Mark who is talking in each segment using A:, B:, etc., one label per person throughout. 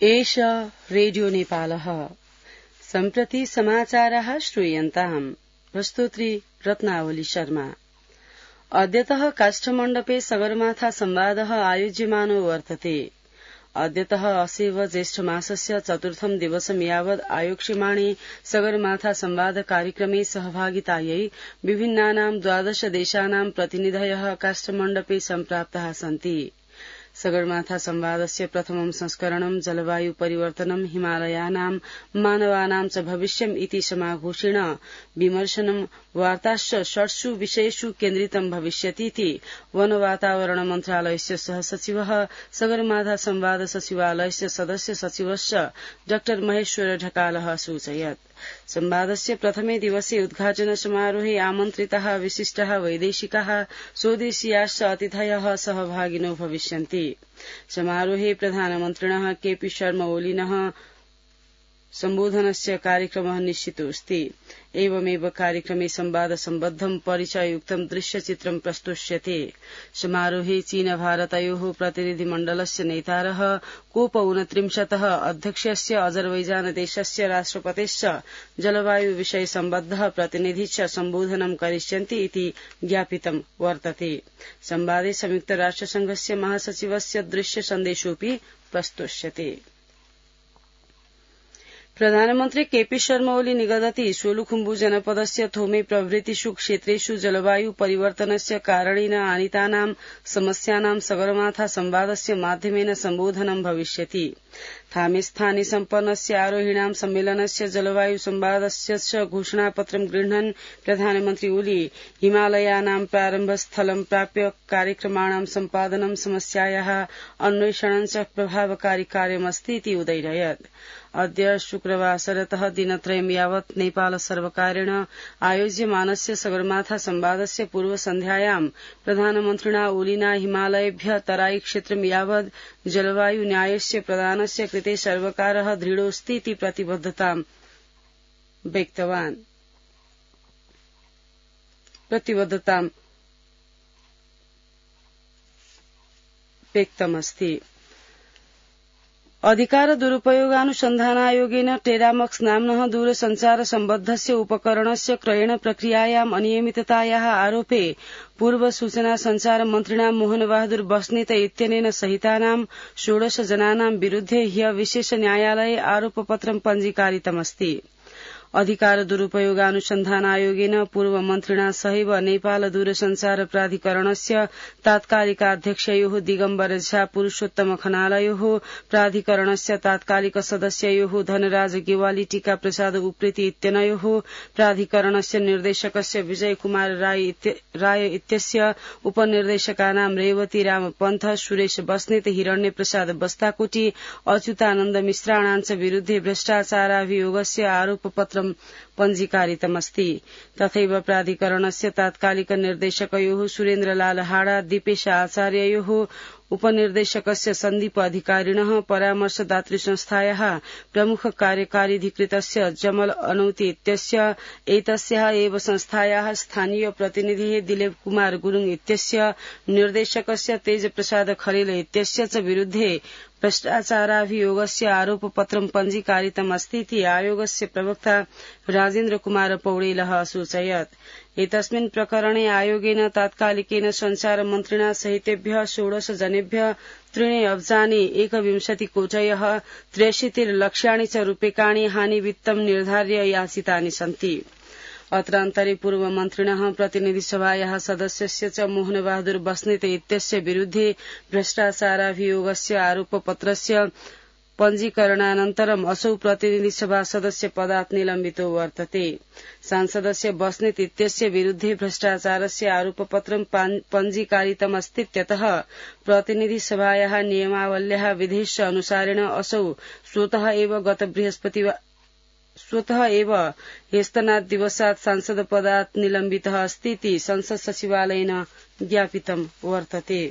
A: एष रेडियो नेपालः सम्प्रति समाचाराः श्रूयन्ताम्। प्रस्तुत्री रत्नावली शर्मा। अद्यतः काष्ठमण्डपे सगरमाथा संवादः आयोज्यमानो वर्तते। अद्यतः असेव ज्येष्ठमासस्य चतुर्थं दिवसं यावत् आयोक्ष्यमाणे सगरमाथा संवाद कार्यक्रमे सहभागितायै विभिन्नानां 12 देशानां प्रतिनिधयः काष्ठमण्डपे सम्प्राप्ताः सन्ति। सगरमाथा संवादस्य प्रथमं संस्करणं जलवायु परिवर्तनं हिमालयानां मानवानां च भविष्यम् इति समाघोषेण विमर्शनं वार्ताश्च 6 विषयेषु केन्द्रितं भविष्यतीति वन वातावरण मन्त्रालयस्य सहसचिवः सगरमाथा संवाद सचिवालयस्य सदस्य सचिवश्च डॉ महेश्वर ढकालः सूचयत्। संवादस्य प्रथमे दिवसे उद्घाटन समारोहे आमन्त्रिताः विशिष्टाः वैदेशिकाः स्वदेशीयाश्च अतिथयः सहभागिनो भविष्यन्ति। समारोहे प्रधानमन्त्रिणः केपी शर्मा ओलीनः सम्बोधनस्य कार्यक्रमः निश्चितोऽस्ति। एवमेव कार्यक्रमे संवाद सम्बद्धं परिचययुक्तं दृश्यचित्रं प्रस्तुष्यते। समारोहे चीन भारतयोः प्रतिनिधिमण्डलस्य नेतारः COP29 अध्यक्षस्य अजरबैजान देशस्य राष्ट्रपतेश्च जलवायु विषय सम्बद्धः प्रतिनिधि च सम्बोधनं करिष्यन्ति इति ज्ञापितं वर्तते। संवादे संयुक्त राष्ट्रसंघस्य महासचिवस्य दृश्य सन्देशोऽपि प्रस्तुष्यते। प्रधानमन्त्री केपी शर्मा ओली निगदति सोलुखुम्बु जनपदस्य थोमे प्रभृतिषु क्षेत्रेषु जलवायु परिवर्तनस्य कारणेन आनीतानां समस्यानां सगरमाथा संवादस्य माध्यमेन सम्बोधनं भविष्यति। थामे स्थाने सम्पन्नस्य आरोहिणां सम्मेलनस्य जलवायु संवादस्य च घोषणापत्रं गृह्णन् प्रधानमन्त्री ओली हिमालयानां प्रारम्भस्थलं प्राप्य कार्यक्रमाणां सम्पादनं समस्यायाः अन्वेषणं च प्रभावकारी कार्यमस्ति इति उदयरयत्। अद्य शुक्रवासरतः दिनत्रयं यावत् नेपाल सर्वकारेण आयोज्यमानस्य सगरमाथा संवादस्य पूर्वसन्ध्यायां प्रधानमन्त्रिणा ओलिना हिमालयेभ्य तराई क्षेत्रं यावत् जलवायु न्यायस्य प्रदानस्य कृते सर्वकारः दृढोऽस्ति इति प्रतिबद्धतां व्यक्तमस्ति। अधिकार दुरुपयोगानुसन्धानायोगेन टेरामक्स नाम्नः दूरसञ्चार सम्बद्धस्य उपकरणस्य क्रयण प्रक्रियायाम् अनियमिततायाः आरोपे पूर्व सूचना संचार मन्त्रिणा मोहन बहादुर बस्नेत इत्यनेन सहितानां 16 जनानां विरुद्धे ह्य विशेष न्यायालये आरोपपत्रं पञ्जीकारितमस्ति। अधिकार दुरुपयोगानुसन्धानायोगेन पूर्व मन्त्रिणा सहैव नेपाल दूरसञ्चार प्राधिकरणस्य तात्कालिकाध्यक्षयोः दिगम्बर झा पुरूषोत्तम खनालयोः प्राधिकरणस्य तात्कालिक सदस्ययोः धनराज गेवाली टीका प्रसाद उप्रेती इत्यनयोः प्राधिकरणस्य निर्देशकस्य विजय कुमार राय इत्यस्य उपनिर्देशकानां रेवती राम पन्थ सुरेश बस्नेत हिरण्य प्रसाद बस्ताकोटी अच्युतानन्द मिश्राणां च विरुद्धे भ्रष्टाचाराभियोगस्य आरोपपत्र पञ्जीकारितमस्ति। तथैव प्राधिकरणस्य तात्कालिक निर्देशकयोः सुरेन्द्रलाल हाडा दीपेश आचार्ययोः उपनिर्देशकस्य सन्दीप अधिकारिणः परामर्शदातृ संस्थायाः प्रमुख कार्यकारीधिकृतस्य जमल अनौती इत्यस्य एतस्याः एव संस्थायाः स्थानीय प्रतिनिधिः दिलीप कुमार गुरुङ इत्यस्य निर्देशकस्य तेज प्रसाद खरेल इत्यस्य च विरुद्धे भ्रष्टाचाराभियोगस्य आरोपपत्रं पञ्जीकारितमस्ति इति आयोगस्य प्रवक्ता राजेन्द्र कुमार पौडेलः असूचयत्। एतस्मिन् प्रकरणे आयोगेन तात्कालिकेन संचार मन्त्रिणा सहितेभ्यः 16 जनेभ्यः 3 अब्जानि 21 कोटयः 63 लक्ष्याणि च रूप्यकाणि हानिवित्तं निर्धार्य याचितानि सन्ति। अत्रान्तरे पूर्व मन्त्रिणः प्रतिनिधिसभायाः सदस्यस्य च मोहन बहादुर बस्नेत इत्यस्य विरुद्धे भ्रष्टाचाराभियोगस्य आरोपपत्रस्य पञ्जीकरणानन्तरम् असौ प्रतिनिधिसभा सदस्य पदात् निलम्बितो वर्तते। सांसदस्य बस्नेत इत्यस्य विरुद्धे भ्रष्टाचारस्य आरोपपत्रं पञ्जीकारितमस्तीत्यतः प्रतिनिधिसभायाः नियमावल्याः विधेश्च अनुसारेण असौ स्वतः एव ह्यस्तनात् दिवसात् सांसद पदात् निलम्बितः अस्ति इति संसद सचिवालयेन ज्ञापितं वर्तते।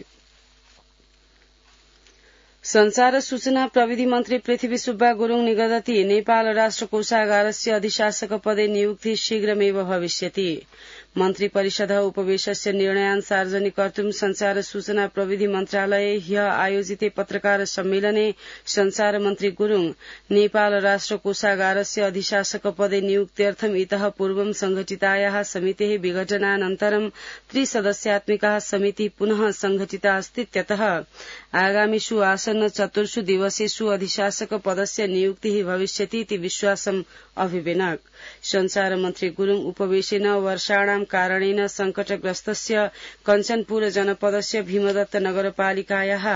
A: संचार सूचना प्रविधि मन्त्री पृथ्वी सुब्बा गुरुङ निगदति नेपाल राष्ट्र कोषागारस्य अधिशासक पदे नियुक्ति शीघ्रमेव भविष्यति। मन्त्री परिषद उपवेशस्य निर्णयान् सार्वजनिक कर्तुं संचार सूचना प्रविधि मन्त्रालय ह्य आयोजिते पत्रकार सम्मेलने संचार मन्त्री गुरूङ नेपाल राष्ट्र कोषागारस्य अधिशासक पदे नियुक्त्यर्थम् इतः पूर्वं संघटितायाः समितेः विघटनानन्तरं त्रिसदस्यात्मिका समिति पुनः संघटिता अस्तीत्यतः आगामिषु आसन्न चतुर्षु दिवसेषु अधिशासक पदस्य नियुक्तिः भविष्यतीति विश्वासम् अभिवेनक। संचार मन्त्री गुरूङ उपवेशेन वर्षाणां कारणेन संकटग्रस्तस्य कञ्चनपुर जनपदस्य भीमदत्त नगरपालिकायाः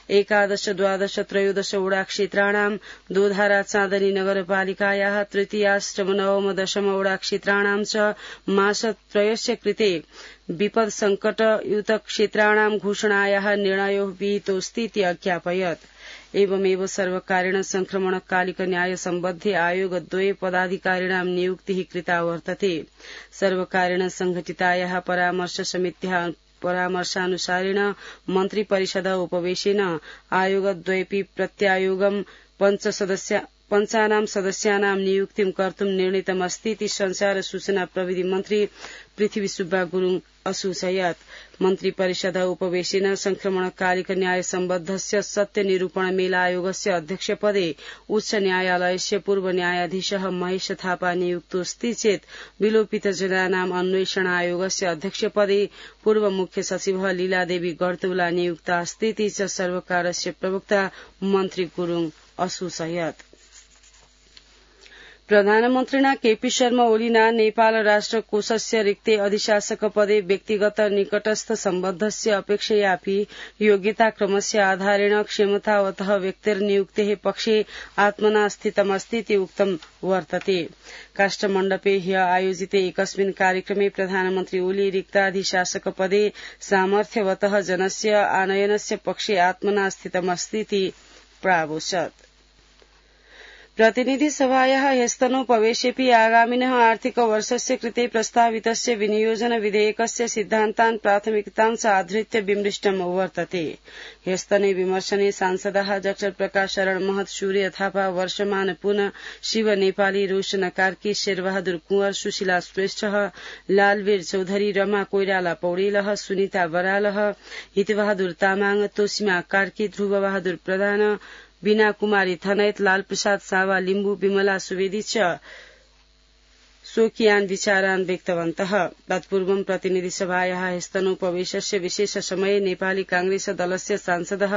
A: 11, 12, 13 वडा क्षेत्राणां दोधारा चाँदनी नगरपालिकायाः तृतीयाष्टम नवम दशम वडा क्षेत्राणां च मासत्रयस्य कृते विपद संकटयुत क्षेत्राणां घोषणायाः निर्णयो विहितोऽस्तीति अज्ञापयत्। एवमेव सर्वकारेण संक्रमणकालिक न्याय सम्बद्धे आयोगद्वये पदाधिकारिणां नियुक्तिः कृता वर्तते। सर्वकारेण संघटितायाः परामर्श समित्याः परामर्शानुसारेण मन्त्री परिषद उपवेशेन आयोगद्वयेपि प्रत्यायोगं पञ्चानां सदस्यानां नियुक्तिं कर्तुं निर्णीतमस्तीति संचार सूचना प्रविधि मन्त्री पृथ्वी सुब्बा गुरूङ असूचयत्। मन्त्री परिषद उपवेशेन संक्रमणकालिक न्याय सम्बद्धस्य सत्य निरूपण मेलायोगस्य अध्यक्षपदे उच्च न्यायालयस्य पूर्व न्यायाधीशः महेश थापा नियुक्तोऽस्ति चेत् विलोपित जनानाम् अन्वेषण आयोगस्य अध्यक्षपदे पूर्व मुख्य सचिवः लीलादेवी गर्तौला नियुक्ता अस्तीति च सर्वकारस्य प्रवक्ता मन्त्री गुरूङ असूचयत्। प्रधानमन्त्रिणा केपी शर्मा ओलीना नेपाल राष्ट्र कोषस्य रिक्ते अधिशासक पदे व्यक्तिगत निकटस्थ सम्बद्धस्य अपेक्षयापि योग्यताक्रमस्य आधारेण क्षमतावतः व्यक्तिर्नियुक्तेः पक्षे आत्मना स्थितमस्तीति उक्तं वर्तते। काष्ठमण्डपे ह्य आयोजिते एकस्मिन् कार्यक्रमे प्रधानमन्त्री ओली रिक्ताधिशासक पदे सामर्थ्यवतः जनस्य आनयनस्य पक्षे आत्मना स्थितमस्तीति प्रावोचत्। प्रतिनिधि सभायाः ह्यस्तनोपवेशेऽपि आगामिनः आर्थिक वर्षस्य कृते प्रस्तावितस्य विनियोजन विधेयकस्य सिद्धान्तान् प्राथमिकतां च आधृत्य विमृष्टं वर्तते। ह्यस्तने विमर्शने सांसदाः डॉ प्रकाश शरण महत, सूर्य थापा, वर्षमान पुन, शिव नेपाली, रोशन कार्की, शेरबहादुर कुंवर, सुशीला श्रेष्ठ, लालवीर चौधरी, रमा कोइराला पौडेलः, सुनिता बरालः, हितबहादुर तामाङ, तोसीमा कार्की, ध्रुव बहादुर प्रधान, बीना कुमारी थनैत, लाल प्रसाद सावा लिम्बू, विमला सुवेदी च स्वकीयान् विचारान् व्यक्तवन्तः। तत्पूर्वं प्रतिनिधि सभायाः ह्यस्तनोपवेशस्य विशेष समये नेपाली कांग्रेस दलस्य सांसदः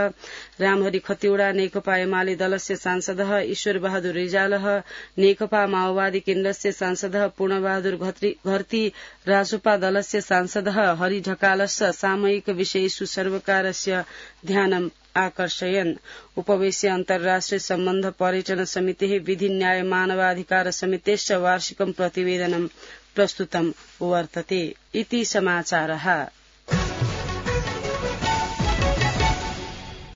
A: रामहरि खतिवड़ा, नेकपा एमाले दलस्य सांसदः ईश्वर बहादुर रिजालः, नेकपा माओवादी केन्द्रस्य सांसदः पूर्णबहादुर घरती, राजोपा दलस्य सांसदः हरि ढकालश्च सामयिक विषयेषु सर्वकारस्य ध्यानम् आकर्षयन्। उपवेश्य अन्तर्राष्ट्रिय सम्बन्ध पर्यटन समितेः विधि न्याय मानवाधिकार समितेश्च वार्षिकं प्रतिवेदनं प्रस्तुतं वर्तते। इति समाचारः।